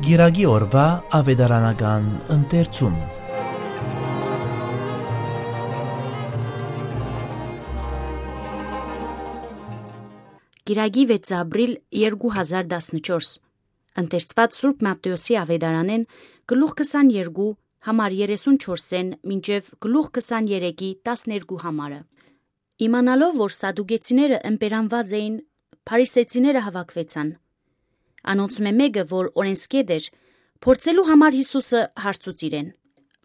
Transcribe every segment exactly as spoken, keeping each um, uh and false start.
Կիրակի օրուայ աւետարանական ընթերցում։ Կիրակի վեց ապրիլ երկու հազար տասնչորս։ Ընթերցուած Սուրբ Մատթէոսի աւետարանէն, գլուխ քսաներկու, համար երեսունչորսէն մինչեւ գլուխ քսաներեքի, տասներկու համարը։ Իմանալով որ սադուկեցիները ըմպերանուած էին, փարիսեցիները հաւաքուեցան։ Անոնցմէ մէկը, որ օրէնսգետ էր, փորձելու համար Յիսուսը հարցուց իրեն.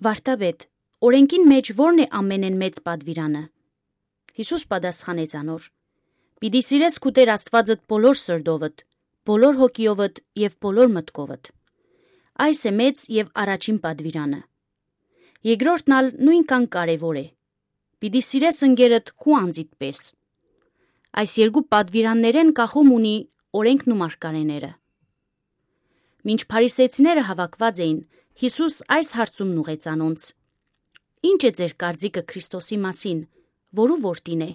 «Վարդապետ, օրէնքին մէջ ո՞րն է ամենէն մեծ պատուիրանը»։ Յիսուս պատասխանեց անոր. «Պիտի սիրես քու Տէր Աստուածդ բոլոր սրտովդ, բոլոր հոգիովդ եւ բոլոր մտքովդ։ Այս է մեծ եւ առաջին պատուիրանը։ Երկրորդն ալ նոյնքան կարեւոր է. պիտի սիրես ընկերդ քու անձիդ պէս։ Այս երկու պատուիրաններէն կախում ունի օրէնքն ու մարգարէները»։ Մինչ փարիսեցիները հաւաքուած էին, Յիսուս այս հարցումն ուղղեց անոնց. «Ի՞նչ է ձեր կարծիքը Քրիստոսի մասին, որու որդին է»։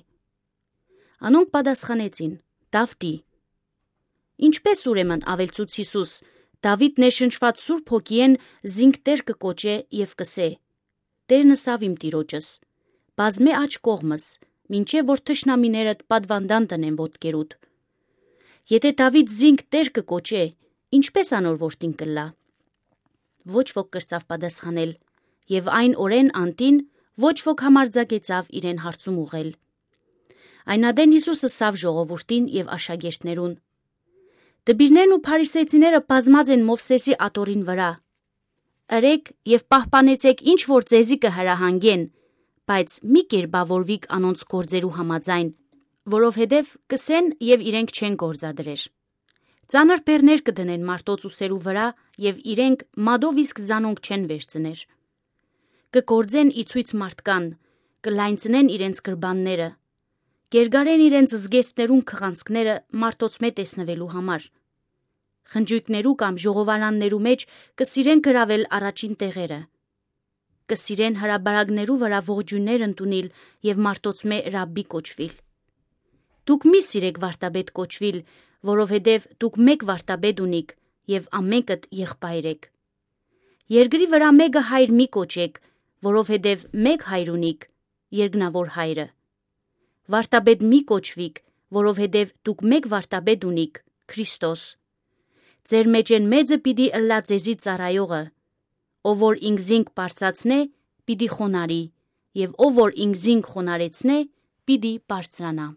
Անոնք պատասխանեցին. «Դաւթի»։ Ինչպէս ուրեմն աւելցուց Յիսուս, Դաւիթ ներշնչուած Սուրբ Հոգիէն զինք Տէր կը կոչէ եւ կ'ըսէ. «Տէրն ըսաւ իմ Տիրոջս. "Բազմէ աջ կողմս, մինչեւ որ թշնամիներդ պատուանդան դնեմ ոտքերուդ"։ Եթէ Դաւիթ զինք Տէր կը կոչէ, ինչպէս անոր որդին կ'ըլլայ»։ Ոչ ոք կրցաւ պատասխանել, եւ այն օրէն անդին ոչ ոք համարձակեցաւ իրեն հարցում ուղղել։ Այն ատեն Յիսուս ըսաւ ժողովուրդին եւ աշակերտներուն. «Դպիրներն ու փարիսեցիները բազմած են Մովսէսի աթոռին վրայ։ Ըրէք եւ պահպանեցէք ինչ որ ձեզի կը հրահանգեն, բայց մի կերպաւորուիք անոնց գործերու համաձայն, որովհետեւ կ'ըսեն եւ իրենք չեն գործադրեր։ Ծանր բեռներ կը դնեն մարդոց ուսերու վրայ եւ իրենք մատով իսկ զանոնք չեն վերցներ։ Կը գործեն ի ցոյց մարդկան, կը լայնցնեն իրենց գրպանները, կ'երկարեն իրենց զգեստներուն քղանցքները մարդոցմէ տեսնուելու համար։ Խնճոյքներու կամ ժողովարաններու մէջ կը սիրեն գրաւել առաջին տեղերը։ Կը սիրեն հրապարակներու վրայ ողջոյններ ընդունիլ եւ մարդոցմէ Ռաբբի կոչուիլ։ Դուք մի սիրէք վարդապետ կոչուիլ, որովհետեւ դուք մէկ վարդապետ ունիք եւ ամենքդ եղբայր էք։ Երկրի վրայ մէկը հայր մի կոչէք, որովհետեւ մէկ հայր ունիք, երկնաւոր հայրը։ Վարդապետ մի կոչուիք, որովհետեւ դուք մէկ վարդապետ ունիք, Քրիստոս։ Ձեր մէջէն մեծը պիտի ըլլայ ձեզի ծառայողը։ Ով որ ինքզինք բարձրացնէ, պիտի խոնարհի, եւ ով որ ինքզինք խոնարհեցնէ, պիտի բարձրանայ։